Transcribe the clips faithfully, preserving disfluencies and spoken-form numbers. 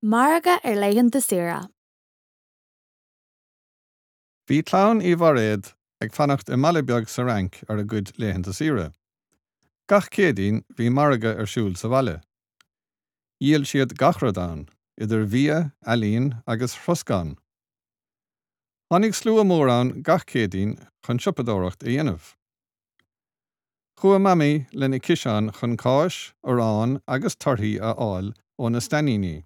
Margadh ar laethanta saoire. Bhí clann Uí Bhairéad ag fanacht i mbaile beag sa Fhrainc ar a gcuid laethanta saoire. Gach Céadaoin bhí margadh ar siúl sa bhaile. Dhíol siad gach rud ann, idir bhia, ealaín agus throscán. Tháinig slua mór ann gach Céadaoin chun siopadóireacht a dhéanamh. Chuaigh Mamaí lena ciseán chun cáis, arán agus torthaí a fháil ó na stainníní.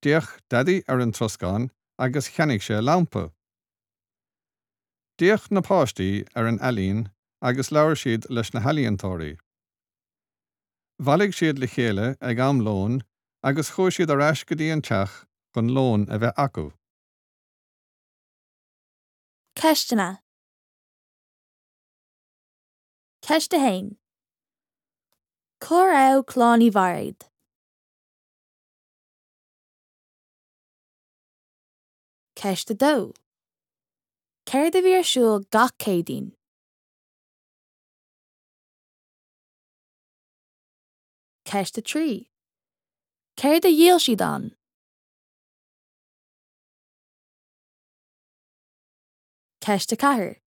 D'fhéach Daidí ar an troscán agus cheannaigh sé lampa. D'fhéach na páistí ar an ealaín agus labhair siad leis na healaíontóirí. Bhailigh siad le chéile ag am lóin agus chuaigh siad ar ais go dtí an teach chun lón a bheith acu. Ceisteanna. Ceist a haon. Cá raibh clann Uí Bhairéad? Ceist a dó. Céard a bhí ar siúl gach Céadaoin? Ceist a trí. Céard a dhíol siad ann? Ceist a ceathair.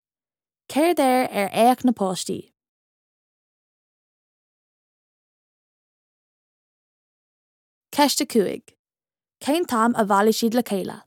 Céard air ar fhéach na páistí? Ceist a cúig. Cén t-am a bhailigh siad le chéile?